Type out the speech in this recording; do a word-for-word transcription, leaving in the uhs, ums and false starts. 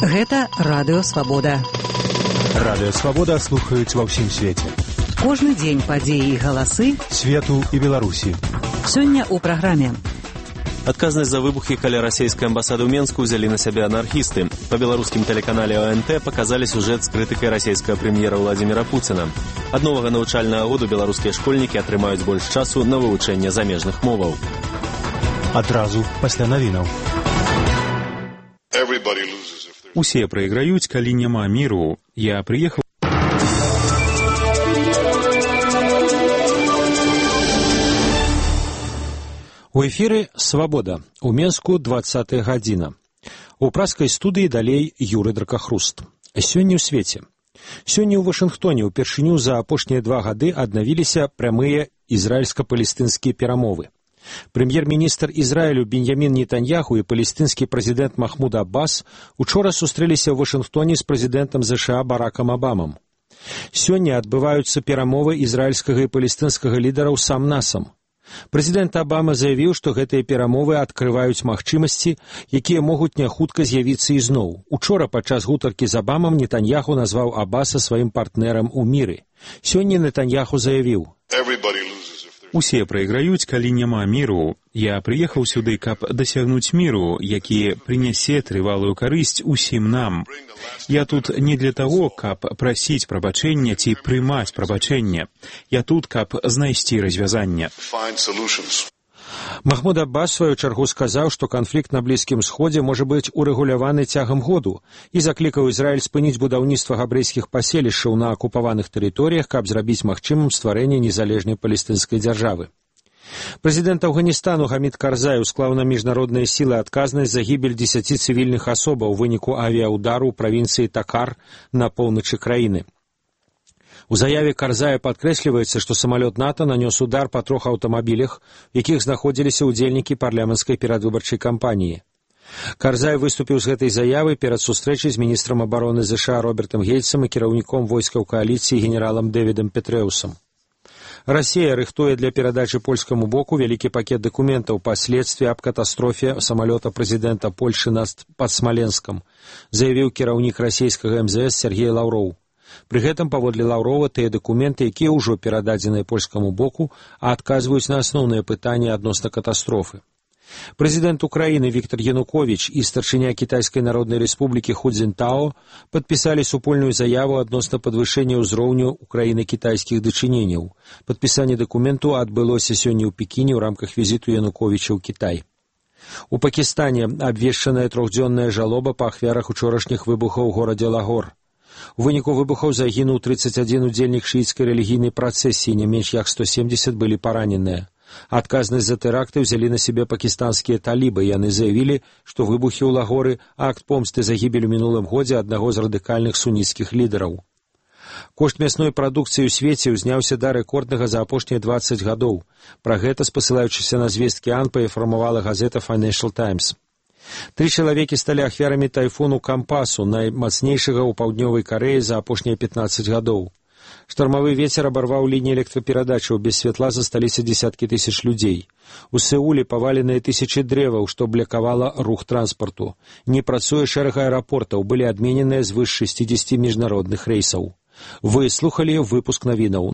Гэта Радыё Свабода. Радыё Свабода слухаюць ва ўсім свеце. Кожны дзень падзеі і галасы свету і Беларусі. Сёння ў праграме. Адказнасць за выбухі каля расійскай амбасады ў Менску ўзялі на сябе анархісты. Па беларускім тэлеканале О Н Т паказалі сюжэт з крытыкай расійскага прэм'ера Владзіміра Пуціна. Ад новага навучальнага году беларускія школьнікі атрымаюць больш часу на вывучэнне замежных моваў. Адразу пасля навінаў. Усе прайграюць, калі няма міру. Я прыехаў. У эфіры «Свабода». У Менску двадцатая гадзіна. У праскай студыі далей Юры Дракахруст. Сёння ў свеце. Сёння ў Вашынгтоне ўпершыню за апошнія два гады аднавіліся прямыя ізраільска-палестынскія перамовы. Прэм'ер-міністр Ізраілю Беньямін Нетаньяху і палестынскі прэзідэнт Махмуд Аббас учора сустрэліся ў Вашынгтоне з прэзідэнтам ЗША Баракам Абамам. Сёння адбываюцца перамовы ізраільскага і палестынскага лідараў сам-насам. Прэзідэнт Абама заявіў, што гэтыя перамовы адкрываюць магчымасці, якія могуць няхутка з'явіцца ізноў. Учора падчас гутаркі з Абамам Нетаньяху назваў Аббаса сваім партнерам у міры. Сёння Нетаньяху заявіў: «Усе прайграюць, калі няма міру. Я прыехаў сюды, каб дасягнуць міру, які прынясе трывалую карысць усім нам. Я тут не для таго, каб прасіць прабачэння ці прымаць прабачэнне. Я тут, каб знайсці развязанне». Махмуд Аббас, сваю чаргу, сказаў, што канфлікт на Блізкім Сходзе можа быць урэгуляваны цягам году і заклікаў Ізраіль спыніць будаўніцтва габрэйскіх паселішчаў на акупаваных тэрыторыях, каб зрабіць магчымым стварэнне незалежнай палестынскай дзяржавы. Прэзідэнт Афганістану Гамід Карзай усклаў на міжнародныя сілы адказнасць за гібель дзесяці цывільных асобаў у выніку авіяудару ў правінцыі Такар на поўначы краіны. У заяве Карзая падкрэсліваецца, што самалёт НАТО нанёс удар па трох аўтамабілях, у якіх знаходзіліся ўдзельнікі парламенцкай перадвыбарчай кампаніі. Карзай выступіў з гэтай заявы перад сустрэчай з міністрам абароны ЗША Робертам Гейцам і кіраўніком войскаў кааліцыі генералам Дэвідам Петрэусам. Расія рыхтуе для перадачы польскаму боку вялікі пакет дакументаў па следстве аб катастрофе самалёта прэзідэнта Польшы пад Смаленскам, заявіў кіраўнік расійскага эм зэ эс Сергей Лаўроў. Пры гэтым, паводле Лаўрова, тыя дакументы, якія ўжо перададзеныя польскаму боку, а адказваюць на асноўныя пытанні адносна катастрофы. Прэзідэнт Украіны Віктор Януковіч і старшыня Кітайскай Народнай Рэспублікі Ху Цзінтао падпісалі супольную заяву адносна падвышэння ўзроўню Украіны-кітайскіх дачыненняў. Падпісанне дакументу адбылося сёння ў Пекіне ў рамках візіту Януковіча ў Кітай. У Пакістане абвешчаная трохдзённая жалоба па ахвярах учорашніх выбухаў у горадзе Лагор. У выніку выбухаў загінуў трыццаць адзін удзельнік шыіцкай рэлігійнай працэсіі, не менш як сто семдзесят былі параненыя. Адказнасць за тэракты ўзялі на сябе пакістанскія талібы. Яны заявілі, што выбухі ў Лагоры – акт помсты за гібель у мінулым годзе аднаго з радыкальных суніцкіх лідараў. Кошт мясной прадукцыі ў свеце ўзняўся да рэкорднага за апошнія дваццаць гадоў. Пра гэта, спасылаючыся на звесткі АНПА, паінфармавала газета Financial Times. Тры чалавекі сталі ахвярамі тайфуну Кампасу, наймацнейшага ў паўднёвай Карэі за апошнія пятнаццаць гадоў. Штормавы вецер абарваў лініі электраперадачаў, без святла засталіся дзесяткі тысяч людзей. У Сеуле паваленыя тысячы дрэваў, што блакавала рух транспарту. Не працуе шэраг аэрапортаў, былі адмененыя звыш шэсцідзесяці міжнародных рэйсаў. Вы слухалі выпуск навінаў